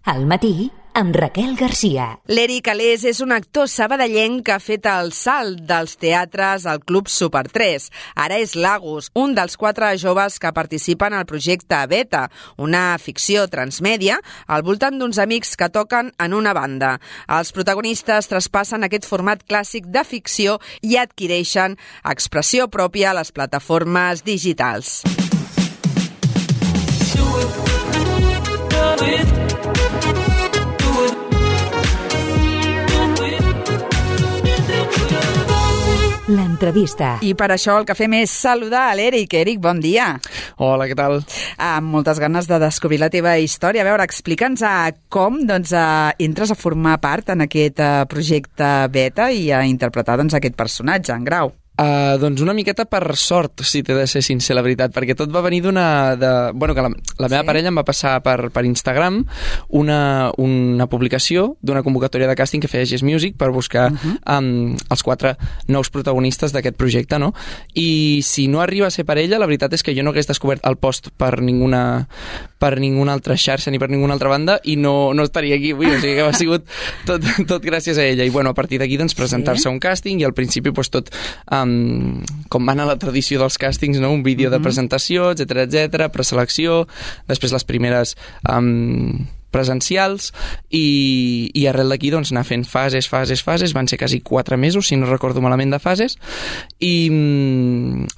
Al matí, amb Raquel Garcia. L'Eric Alés és un actor sabadellenc que ha fet el salt dels teatres al Club Super 3. Ara és Lagos, un dels 4 joves que participen al projecte Beta, una ficció transmèdia al voltant d'uns amics que toquen en una banda. Els protagonistes traspassen aquest format clàssic de ficció i adquireixen expressió pròpia a les plataformes digitals. L'entrevista. I per això el que fem és saludar a l'Eric. Eric, bon dia. Hola, què tal? Amb moltes ganes de descobrir la teva història. A veure, explica'ns com entres a formar part en aquest projecte Beta i a interpretar aquest personatge, en Grau. Doncs una miqueta per sort, si t'he de ser sincer, la veritat, perquè tot va venir que la meva parella em va passar per Instagram una publicació d'una convocatòria de càsting que feia Yes Music per buscar els 4 nous protagonistes d'aquest projecte, no? I si no arriba a ser per ella, la veritat és que jo no hagués descobert el post per ninguna altra xarxa ni per ninguna altra banda i no estaria aquí avui, o sigui que ha sigut tot gràcies a ella. I bueno, a partir d'aquí presentar-se a un càsting i al principi tot com va anar la tradició dels càstings, no? Un vídeo de presentació, etc, preselecció, després les primeres presencials i arrel d'aquí anar fent fases, van ser quasi 4 mesos, si no recordo malament, de fases, i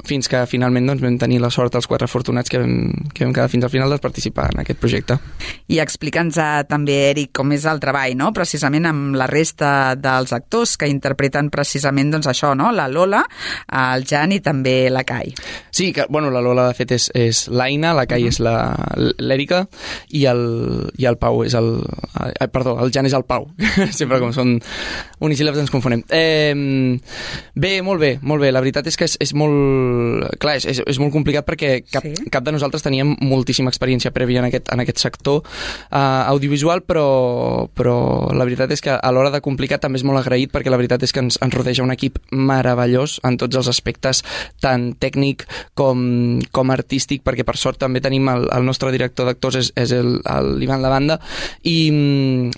fins que finalment vam tenir la sort els 4 afortunats que vam quedar fins al final de participar en aquest projecte. I explica'ns també, Eric, com és el treball, no? Precisament amb la resta dels actors que interpreten precisament això, no? La Lola, el Jan i també la Kai. Sí, que, la Lola de fet és l'Aina, la Kai és l'Èrica i el Pau és el Jan és el Pau. Sempre com són unisíl·labs ens confonem. Bé, molt bé. La veritat és que és molt... Clar, és molt complicat perquè cap de nosaltres teníem moltíssima experiència prèvia en aquest sector audiovisual, però la veritat és que a l'hora de complicar també és molt agraït perquè la veritat és que ens rodeja un equip meravellós en tots els aspectes, tant tècnic com artístic, perquè per sort també tenim el nostre director d'actors és l'Ivan Lavanda, i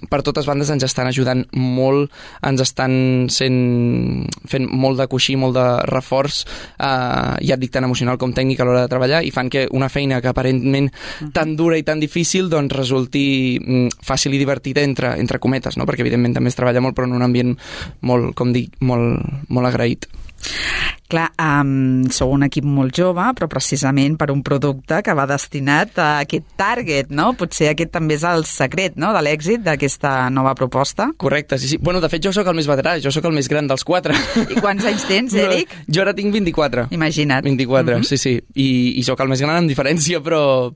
per totes bandes ens estan ajudant molt, ens estan fent molt de coixí, molt de reforç, ja et dic, tant emocional com tècnic a l'hora de treballar, i fan que una feina que aparentment tan dura i tan difícil resulti fàcil i divertida entre cometes, no? Perquè evidentment també es treballa molt però en un ambient molt, com dic, molt agraït. Clar, sou un equip molt jove, però precisament per un producte que va destinat a aquest target, no? Potser aquest també és el secret, no?, de l'èxit d'aquesta nova proposta. Correcte, sí. Bueno, de fet, jo sóc el més veterà, jo sóc el més gran dels 4. I quants anys tens, Eric? Jo ara tinc 24. Imagina't. 24, sí. I sóc el més gran en diferència, però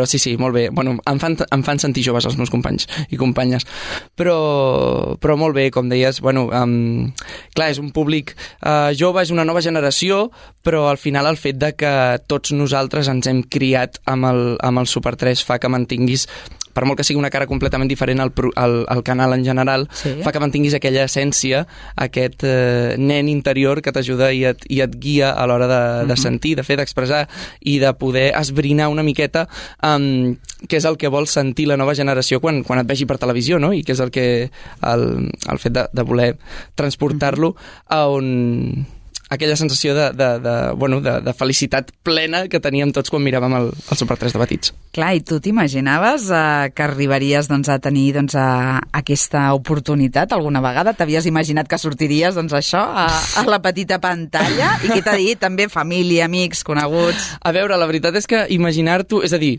sí, molt bé. Bueno, em fan sentir joves els meus companys i companyes. Però molt bé, com deies, clar, és un públic jove, és una nova generació, però al final el fet de que tots nosaltres ens hem criat amb el Super 3 fa que mantinguis, per molt que sigui una cara completament diferent al canal en general, fa que mantinguis aquella essència, aquest nen interior que t'ajuda i et guia a l'hora de sentir, de fer, d'expressar i de poder esbrinar una miqueta què és el que vol sentir la nova generació quan et vegi per televisió, no? I què és el fet de voler transportar-lo a on... aquella sensació de felicitat plena que teníem tots quan miràvem el Super 3 de petits. Clar, i tu t'imaginaves que arribaries a tenir aquesta oportunitat alguna vegada? T'havies imaginat que sortiries a la petita pantalla? I què t'ha dit? També família, amics, coneguts? A veure, la veritat és que imaginar-t'ho, és a dir,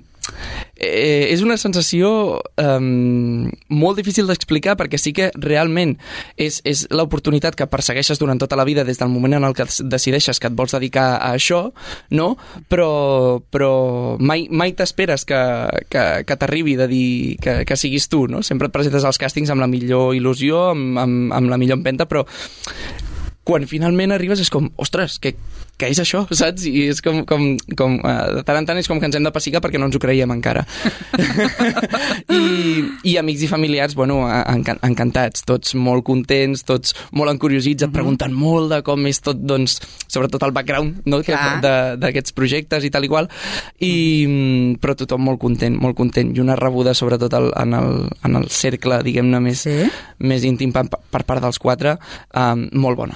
és una sensació molt difícil d'explicar perquè sí que realment és l'oportunitat que persegueixes durant tota la vida des del moment en el que decideixes que et vols dedicar a això, no? Però mai t'esperes que t'arribi de dir que siguis tu, no? Sempre et presentes als càstings amb la millor il·lusió, amb la millor empenta, però quan finalment arribes és com, ostres, que què és això, saps? I és com de tant en tant és com que ens hem de pessigar perquè no ens ho creiem encara. I amics i familiars, bueno, encantats, tots molt contents, tots molt encuriosits, et pregunten molt de com és tot, doncs, sobretot el background, no? d'aquests projectes i tal i qual, però tothom molt content, i una rebuda sobretot en el cercle, diguem-ne, més íntim per part dels 4, molt bona.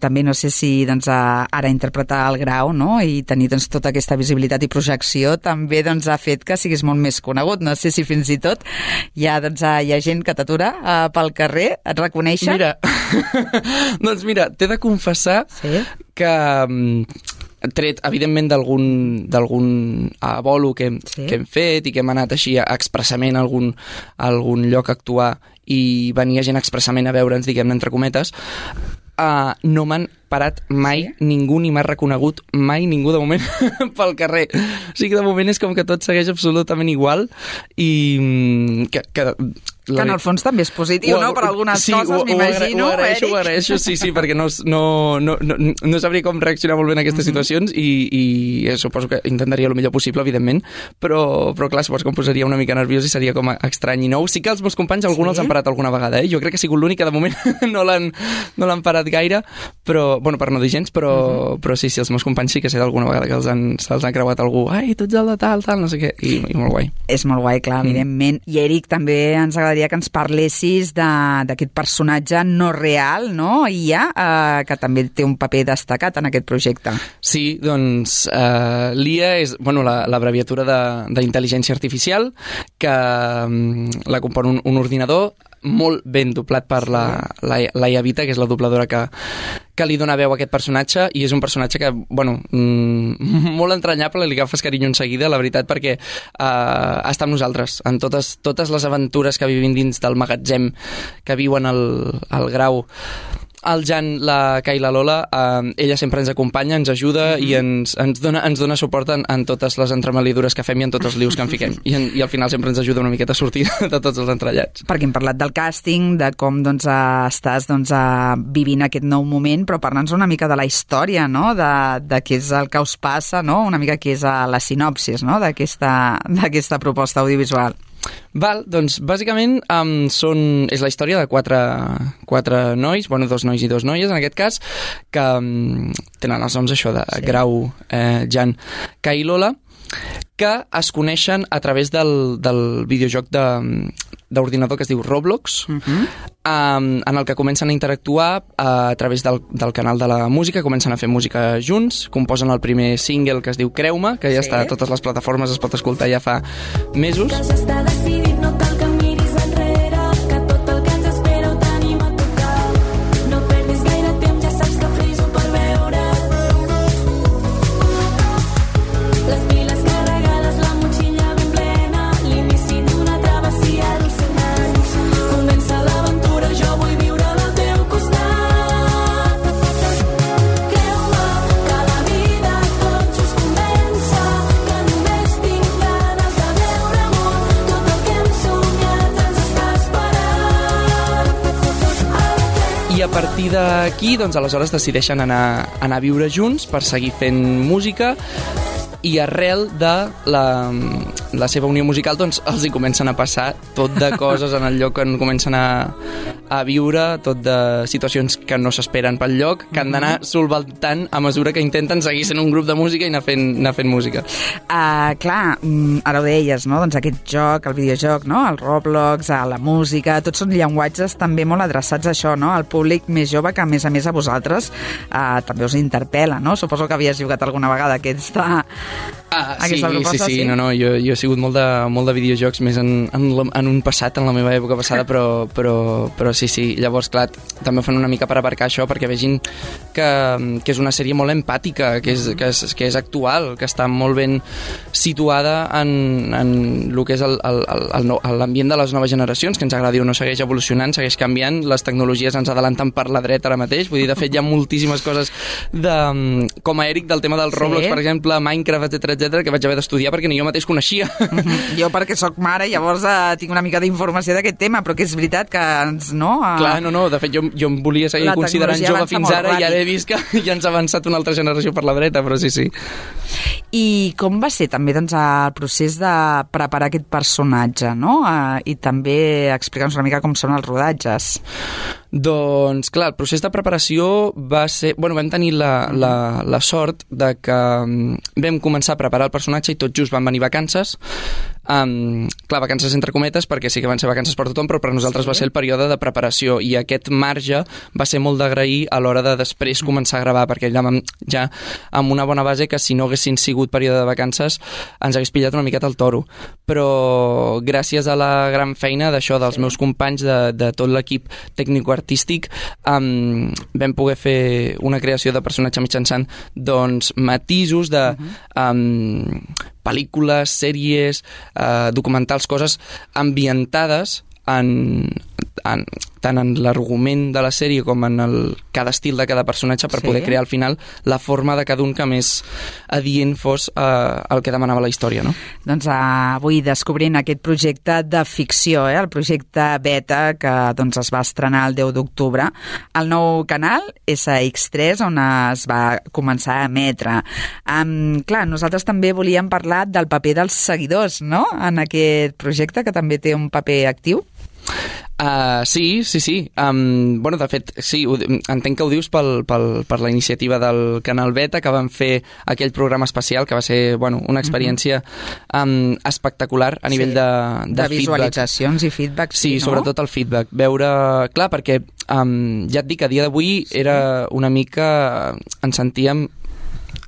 També no sé si doncs, ara interpretar el Grau, no? I tenir doncs, tota aquesta visibilitat i projecció també doncs, ha fet que siguis molt més conegut. No sé si fins i tot hi ha gent que t'atura pel carrer, et reconeixen? Mira, doncs mira, t'he de confessar que tret, evidentment, d'algun bolo que hem fet i que hem anat així expressament a algun lloc a actuar i venia gent expressament a veure'ns, diguem-ne, entre cometes, no m'han parat mai ningú, ni m'ha reconegut mai ningú de moment pel carrer. O sigui que de moment és com que tot segueix absolutament igual i que en el fons també és positiu, no? Per algunes coses, m'imagino, Eric. Ho agraeixo, sí, perquè no sabria com reaccionar molt bé en aquestes situacions i suposo que intentaria el millor possible, evidentment, però clar, suposo que em posaria una mica nerviós i seria com estrany i nou. Sí que els meus companys, alguns els han parat alguna vegada, Jo crec que ha sigut l'únic que de moment no l'han parat gaire, però, bueno, per no dir gens, però sí, els meus companys sí que sé d'alguna vegada que se'ls ha creuat algú, ai, tu ets el de tal, no sé què, i molt guai. És molt guai, clar, evidentment. I Eric, també ens agradaria que ens parlessis d'aquest personatge no real, no? Ia, que també té un paper destacat en aquest projecte. Sí, doncs l'IA és, bueno, l'abreviatura d'intel·ligència artificial, que la compon un ordinador molt ben doblat per Laia Vita, que és la dobladora que li dona veu a aquest personatge, i és un personatge que, bueno, molt entranyable, li agafes carinyo en seguida, la veritat, perquè està amb nosaltres, en totes les aventures que vivim dins del magatzem que viuen al Grau. El Jan, la Kai i la Lola, ella sempre ens acompanya, ens ajuda i ens dona suport en totes les entremaliadures que fem i en tots els lius que en fiquem. I al final sempre ens ajuda una miqueta a sortir de tots els entrellats. Perquè hem parlat del càsting, de com estàs vivint aquest nou moment, però parla'ns una mica de la història, no? De què és el que us passa, no? Una mica què és la sinopsis, no? d'aquesta proposta audiovisual. Val, doncs bàsicament és la història de quatre nois, bueno, 2 nois i 2 noies en aquest cas, que tenen els noms això de Grau, Jan, Kai i Lola, que es coneixen a través del videojoc d'ordinador que es diu Roblox, en el que comencen a interactuar a través del canal de la música, comencen a fer música junts, composen el primer single que es diu Creu-me, que ja està a totes les plataformes, es pot escoltar ja fa mesos. Ja està decidit, no cal que miris enrere, que tot el que ens espera ho tenim a tocar. No perdis gaire temps, ja saps que friso per veure. Les piles carregades, la motxilla ben plena, l'inici d'una travessia dels 100 anys. Comença l'aventura, jo vull viure del teu costat. Creu-me que la vida tot just comença, que només tinc ganes de veure món, tot el que hem somiat ens està esperant. I a partir d'aquí, doncs, aleshores decideixen anar a viure junts per seguir fent música, i arrel de la seva unió musical, doncs, els hi comencen a passar tot de coses en el lloc on comencen a viure, tot de situacions que no s'esperen pel lloc, que han d'anar solventant a mesura que intenten seguir sent un grup de música i anar fent música. Clar, ara ho deies, no? Doncs aquest joc, el videojoc, no? El Roblox, la música, tots són llenguatges també molt adreçats a això, no? Al públic més jove, que a més a vosaltres també us interpel·la, no? Suposo que havies jugat alguna vegada aquesta proposta. Sí. No, jo he sigut molt de videojocs més en un passat, en la meva època passada, però sí. Llavors, clar, també ho fan una mica per abarcar això, perquè vegin que és una sèrie molt empàtica, que és actual, que està molt ben situada en el que és l'ambient de les noves generacions, que ens agradi o no segueix evolucionant, segueix canviant, les tecnologies ens adelanten per la dreta ara mateix, vull dir, de fet hi ha moltíssimes coses com a Eric del tema del Roblox, per exemple, Minecraft, etc, etcètera, que vaig haver d'estudiar perquè ni jo mateix coneixia. Jo perquè sóc mare, llavors tinc una mica d'informació d'aquest tema, però que és veritat que ens, no? Clar, no, de fet jo em volia seguir La considerant tecnologia jove avança fins molt ara i ara he vist que ja ens ha avançat una altra generació per la dreta, però sí. I com va ser també doncs, el procés de preparar aquest personatge, no? I també explicar-nos una mica com són els rodatges. Doncs, clar, el procés de preparació va ser... Bueno, vam tenir la sort de que vam començar a preparar el personatge i tot just van venir vacances. Clar, vacances entre cometes, perquè sí que van ser vacances per tothom, però per nosaltres va ser el període de preparació i aquest marge va ser molt d'agrair a l'hora de després començar a gravar, perquè ja amb una bona base que si no haguessin sigut període de vacances ens hagués pillat una miqueta el toro. Però gràcies a la gran feina d'això, dels meus companys, de tot l'equip tècnico-artístic, vam poder fer una creació de personatge mitjançant doncs, matisos de pel·lícules, sèries, documentals, coses ambientades tant en l'argument de la sèrie com en cada estil de cada personatge per poder crear al final la forma de cada un que més adient fos el que demanava la història, no? Doncs avui descobrint aquest projecte de ficció, el projecte Beta, que doncs, es va estrenar el 10 d'octubre al nou canal SX3, on es va començar a emetre. Clar, nosaltres també volíem parlar del paper dels seguidors, no?, en aquest projecte, que també té un paper actiu. Sí. Bueno, de fet, sí, entenc que ho dius per la iniciativa del canal Beta, que van fer aquell programa especial, que va ser una experiència espectacular a nivell de visualitzacions i feedback. Sí, no? Sobretot el feedback. Veure... Clar, perquè ja et dic, a dia d'avui era una mica... Ens sentíem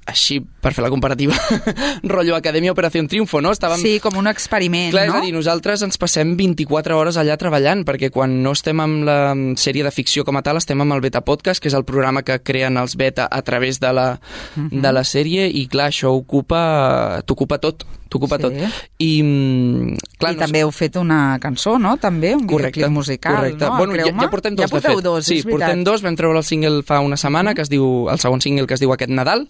així, per fer la comparativa, rotllo Acadèmia Operació Triunfo, no? Sí, com un experiment, clar, no? És a dir, nosaltres ens passem 24 hores allà treballant, perquè quan no estem amb la sèrie de ficció com a tal, estem amb el Beta Podcast, que és el programa que creen els Beta a través de la sèrie, i clar, això t'ocupa tot. I, clar, també heu fet una cançó, no? També, un videoclip musical, correcte. No? Bueno, ja portem dos, de fet. Sí, portem dos, vam treure el single fa una setmana, que es diu, el segon single, que es diu Aquest Nadal.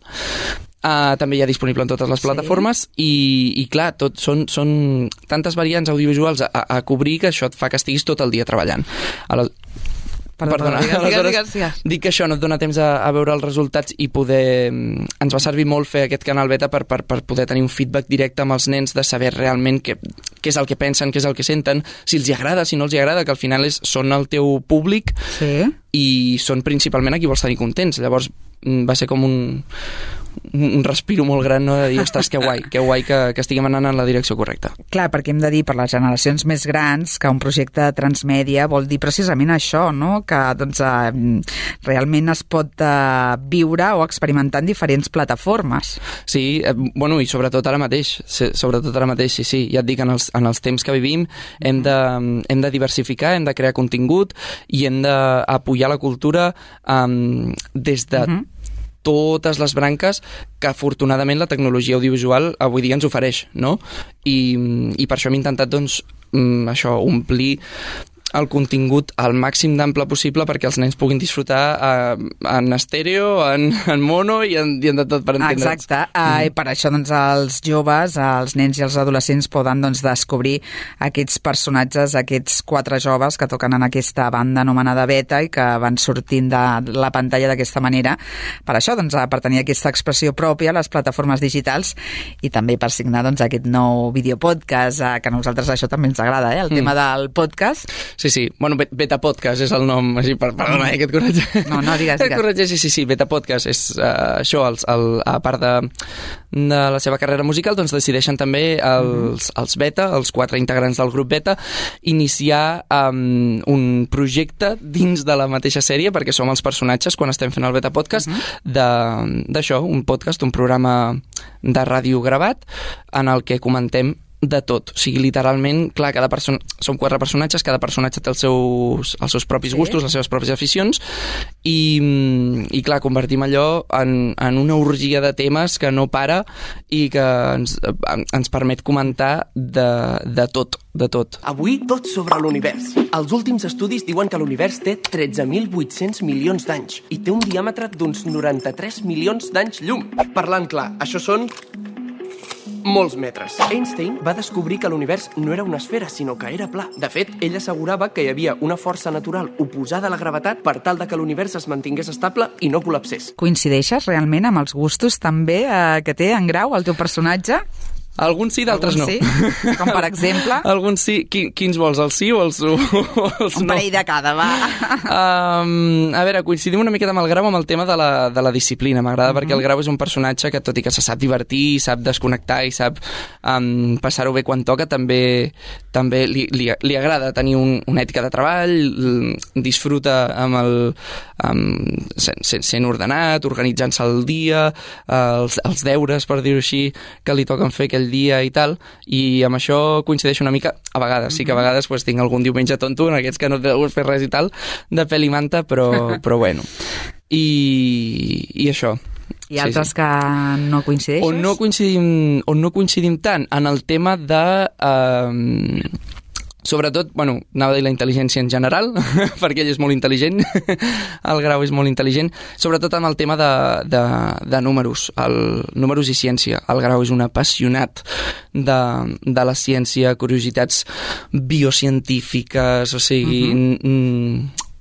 També hi ha disponible en totes les plataformes i clar, tot són tantes variants audiovisuals a cobrir que això et fa que estiguis tot el dia treballant. Perdona. Aleshores, dic que això no et dona temps a veure els resultats i poder... Ens va servir molt fer aquest canal Beta per poder tenir un feedback directe amb els nens, de saber realment què és el que pensen, què és el que senten, si els hi agrada, si no els hi agrada, que al final són el teu públic i són principalment a qui vols tenir contents. Llavors va ser com un respiro molt gran, no?, de dir, ostres, que guai que estiguem anant en la direcció correcta. Clar, perquè hem de dir, per les generacions més grans, que un projecte transmèdia vol dir precisament això, no?, que doncs, realment es pot viure o experimentar en diferents plataformes. Sí, i sobretot ara mateix, sí. Ja et dic, en els temps que vivim hem de diversificar, hem de crear contingut i hem d'apoyar la cultura des de totes les branques que afortunadament la tecnologia audiovisual avui dia ens ofereix, no? I per això hem intentat, doncs, això, omplir el contingut al màxim d'ample possible perquè els nens puguin disfrutar en estèreo, en mono i en de tot per entendre'ns. Exacte. I per això doncs, els joves, els nens i els adolescents poden doncs, descobrir aquests personatges, aquests 4 joves que toquen en aquesta banda anomenada Beta i que van sortint de la pantalla d'aquesta manera. Per això, doncs, per tenir aquesta expressió pròpia a les plataformes digitals i també per signar doncs, aquest nou videopodcast, que a nosaltres això també ens agrada, el tema del podcast. Sí. Bueno, Beta Podcast és el nom, així, perdona, que et corregeix. No, digues. Et corregeix, sí, Beta Podcast és això, a part de la seva carrera musical, doncs decideixen també els Beta, els 4 integrants del grup Beta, iniciar un projecte dins de la mateixa sèrie, perquè som els personatges quan estem fent el Beta Podcast, d'això, un podcast, un programa de ràdio gravat, en el que comentem de tot, o sigui, literalment, clar, som 4 personatges, cada personatge té els seus propis gustos, les seves pròpies aficions, i clar, convertim allò en una orgia de temes que no para i que ens permet comentar de tot. Avui tot sobre l'univers. Els últims estudis diuen que l'univers té 13.800 milions d'anys i té un diàmetre d'uns 93 milions d'anys llum. Parlant clar, això són molts metres. Einstein va descobrir que l'univers no era una esfera, sinó que era pla. De fet, ell assegurava que hi havia una força natural oposada a la gravetat per tal de que l'univers es mantingués estable i no col·lapsés. Coincideixes realment amb els gustos també que té en Grau, el teu personatge? Alguns sí, d'altres no. Sí? Com per exemple? Alguns sí. Quins vols, el sí o els no? Un parell de cada, va. A veure, coincidim una miqueta amb el Grau amb el tema de la disciplina. M'agrada perquè el Grau és un personatge que, tot i que se sap divertir, sap desconnectar i sap passar-ho bé quan toca, també li agrada tenir una ètica de treball, disfruta sent ordenat, organitzant-se el dia, els deures, per dir-ho així, que li toquen fer aquell dia i tal, i amb això coincideix una mica, a vegades, sí que a vegades pues, tinc algun diumenge tonto, en aquests que no deus fer res i tal, de pèl i manta, però bueno. I això. I altres que no coincideixes? On no coincidim tant, en el tema de... sobretot, anava a dir la intel·ligència en general, perquè ell és molt intel·ligent, el Grau és molt intel·ligent, sobretot en el tema de números, números i ciència. El Grau és un apassionat de la ciència, curiositats biocientífiques, o sigui...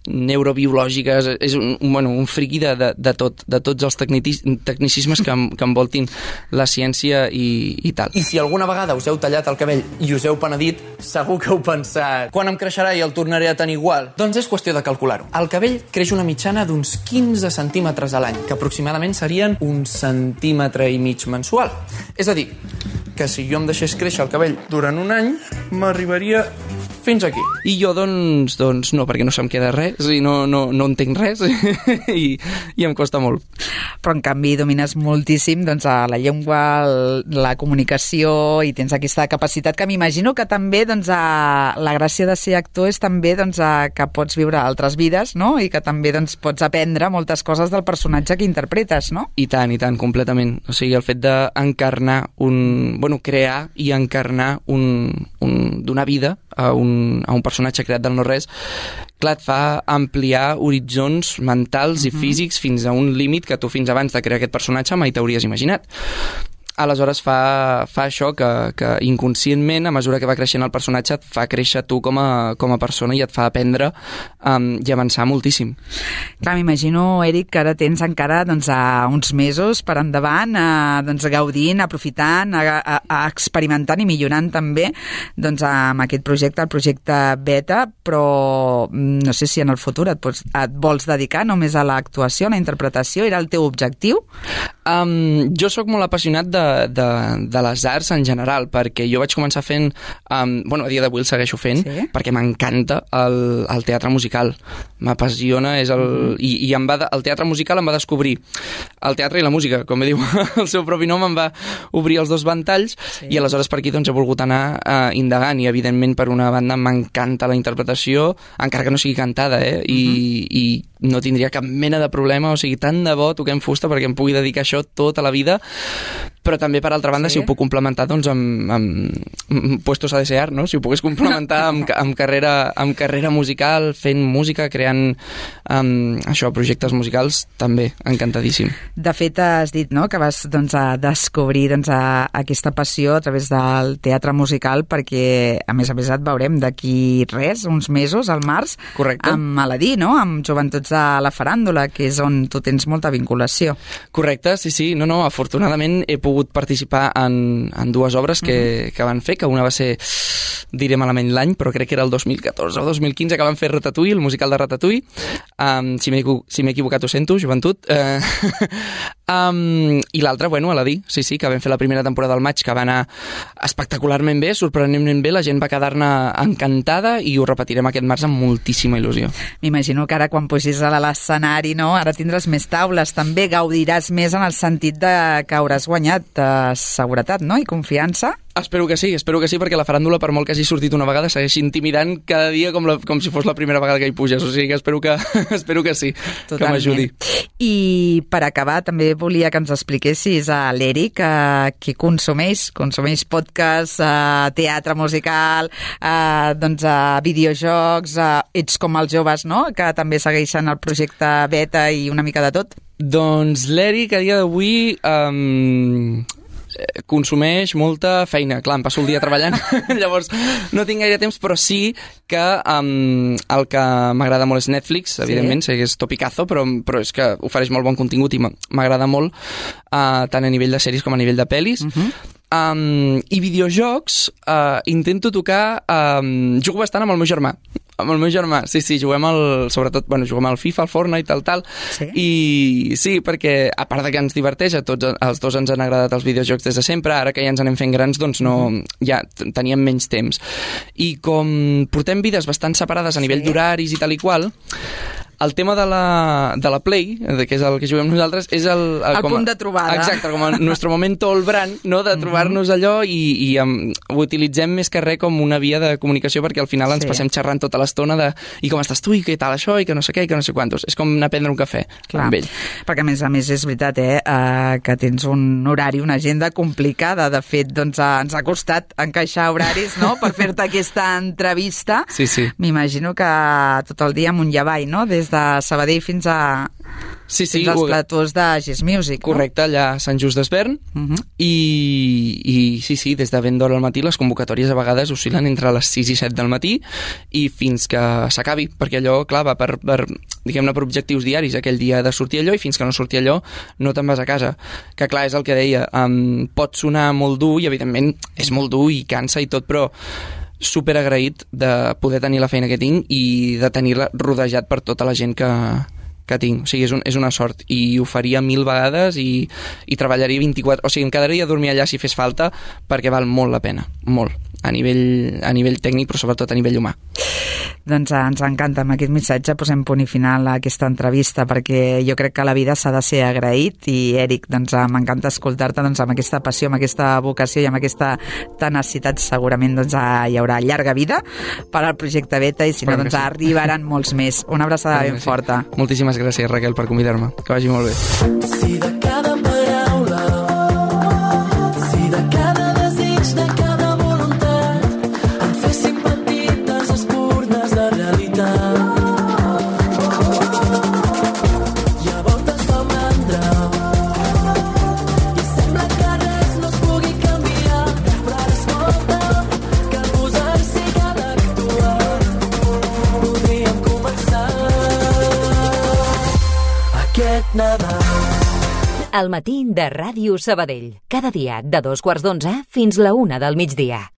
neurobiològiques, és un friqui de tots els tecnicismes que envoltin la ciència i tal. I si alguna vegada us heu tallat el cabell i us heu penedit, segur que heu pensat quan em creixerà i el tornaré a tenir igual? Doncs és qüestió de calcular-ho. El cabell creix una mitjana d'uns 15 centímetres a l'any, que aproximadament serien 1,5 centímetres mensual. És a dir, que si jo em deixés créixer el cabell durant un any, m'arribaria fins aquí. I jo, doncs no, perquè no se'm queda res i no entenc res i em costa molt. Però en canvi domines moltíssim a la llengua, la comunicació, i tens aquesta capacitat que m'imagino que també la gràcia de ser actor és també que pots viure altres vides, no? I que també pots aprendre moltes coses del personatge que interpretes, no? I tant, completament. O sigui, el fet d'encarnar crear i encarnar d'una vida a un personatge creat del no-res, clar, et fa ampliar horitzons mentals i físics fins a un límit que tu fins abans de crear aquest personatge mai t'hauries imaginat. Aleshores fa això que inconscientment, a mesura que va creixent el personatge, et fa créixer tu com a persona i et fa aprendre i avançar moltíssim. Clar, m'imagino, Eric, que ara tens encara uns mesos per endavant, gaudint, aprofitant, experimentant i millorant també amb aquest projecte, el projecte Beta, però no sé si en el futur et vols dedicar només a l'actuació, a la interpretació, era el teu objectiu? Jo sóc molt apassionat de les arts en general, perquè jo vaig començar fent, a dia d'avui el segueixo fent, sí? Perquè m'encanta el teatre musical, m'apassiona, i el teatre musical em va descobrir el teatre i la música, com diu el seu propi nom, em va obrir els dos ventalls, sí. I aleshores per aquí he volgut anar indagant, i evidentment per una banda m'encanta la interpretació, encara que no sigui cantada, i no tindria cap mena de problema, o sigui, tant de bo toquem fusta perquè em pugui dedicar a això tota la vida, però també, per altra banda, sí? Si ho puc complementar amb puestos a desear, no? Si ho pogués complementar amb carrera musical, fent música, creant projectes musicals, també, encantadíssim. De fet, has dit, no?, que vas a descobrir aquesta passió a través del teatre musical, perquè a més et veurem d'aquí uns mesos, al març. Correcte. Amb Aladí, no?, amb Joventuts de la Faràndula, que és on tu tens molta vinculació. Correcte, sí. No, afortunadament he pogut participar en dues obres que van fer, que una va ser, diré malament l'any, però crec que era el 2014 o 2015, que van fer Ratatouille, el musical de Ratatouille. Si m'he equivocat ho sento, Joventut. I l'altra, Aladí, sí, que vam fer la primera temporada del maig, que va anar espectacularment bé, sorprenentment bé, la gent va quedar-ne encantada i ho repetirem aquest març amb moltíssima il·lusió. M'imagino que ara quan pugis a l'escenari, no?, ara tindràs més taules, també gaudiràs més en el sentit que hauràs guanyat seguretat, no?, i confiança. Espero que sí, perquè la faràndula, per molt que hagi sortit una vegada, segueix intimidant cada dia com si fos la primera vegada que hi puges, o sigui que espero que sí. Totalment. Que m'ajudi. I per acabar, també volia que ens expliquessis a l'Eric que consumeix podcast, teatre musical, videojocs, ets com els joves, no?, que també segueixen el projecte Beta i una mica de tot. Doncs l'Eric, a dia d'avui... consumeix molta feina. Clar, em passo el dia treballant, llavors no tinc gaire temps, però sí que el que m'agrada molt és Netflix, evidentment, sé que és topicazo, però és que ofereix molt bon contingut i m'agrada molt tant a nivell de sèries com a nivell de pel·lis. I videojocs intento tocar... jugo bastant amb el meu germà. Amb el meu germà, sí, juguem sobretot, juguem al FIFA, al Fortnite, tal. Sí? I sí, perquè a part de que ens diverteix, a tots els dos ens han agradat els videojocs des de sempre, ara que ja ens anem fent grans, doncs no, ja teníem menys temps. I com portem vides bastant separades a nivell d'horaris i tal i qual, el tema de la Play, que és el que juguem nosaltres, és el punt de trobada. Exacte, com el nostre momento all brand, no? De trobar-nos allò i ho utilitzem més que res com una via de comunicació, perquè al final ens passem xerrant tota l'estona de i com estàs tu, i què tal això, i que no sé què, i que no sé quantos. És com anar a prendre un cafè amb ell. Perquè a més és veritat que tens un horari, una agenda complicada. De fet, doncs ens ha costat encaixar horaris, no?, per fer-te aquesta entrevista. Sí. M'imagino que tot el dia amunt i avall, no?, des de Sabadell fins als platós de Gis Music, no? Correcte, allà a Sant Just d'Esvern. I sí, des de ben d'hora al matí les convocatòries a vegades oscil·len entre les 6 i 7 del matí i fins que s'acabi, perquè allò, clar, va per diguem-ne, per objectius diaris. Aquell dia ha de sortir allò i fins que no surti allò no te'n vas a casa. Que clar, és el que deia, pot sonar molt dur i evidentment és molt dur i cansa i tot, però super agraït de poder tenir la feina que tinc i de tenir-la rodejat per tota la gent que tinc. O sigui, és una sort i ho faria 1000 vegades i treballaria 24... O sigui, em quedaria a dormir allà si fes falta perquè val molt la pena, molt, a nivell tècnic, però sobretot a nivell humà. Doncs ens encanta. Amb aquest missatge posem punt i final a aquesta entrevista, perquè jo crec que la vida s'ha de ser agraït i, Eric, doncs m'encanta escoltar-te amb aquesta passió, amb aquesta vocació i amb aquesta tenacitat. Segurament doncs hi haurà llarga vida per al projecte Beta i si no, doncs arribaran molts més. Una abraçada ben forta. Moltíssimes gràcies, Raquel, per convidar-me. Que vagi molt bé. Si de cada paraula, si de cada desig, de cada voluntat em fessin petites espurnes de realitat. I a voltes fa mandra i sembla que res no es pugui canviar, però ara escolta, que posar-s'hi ha d'actuar. Podríem començar aquest Nadal. Al matí de Ràdio Sabadell. Cada dia de 2:15 fins la 1 del migdia.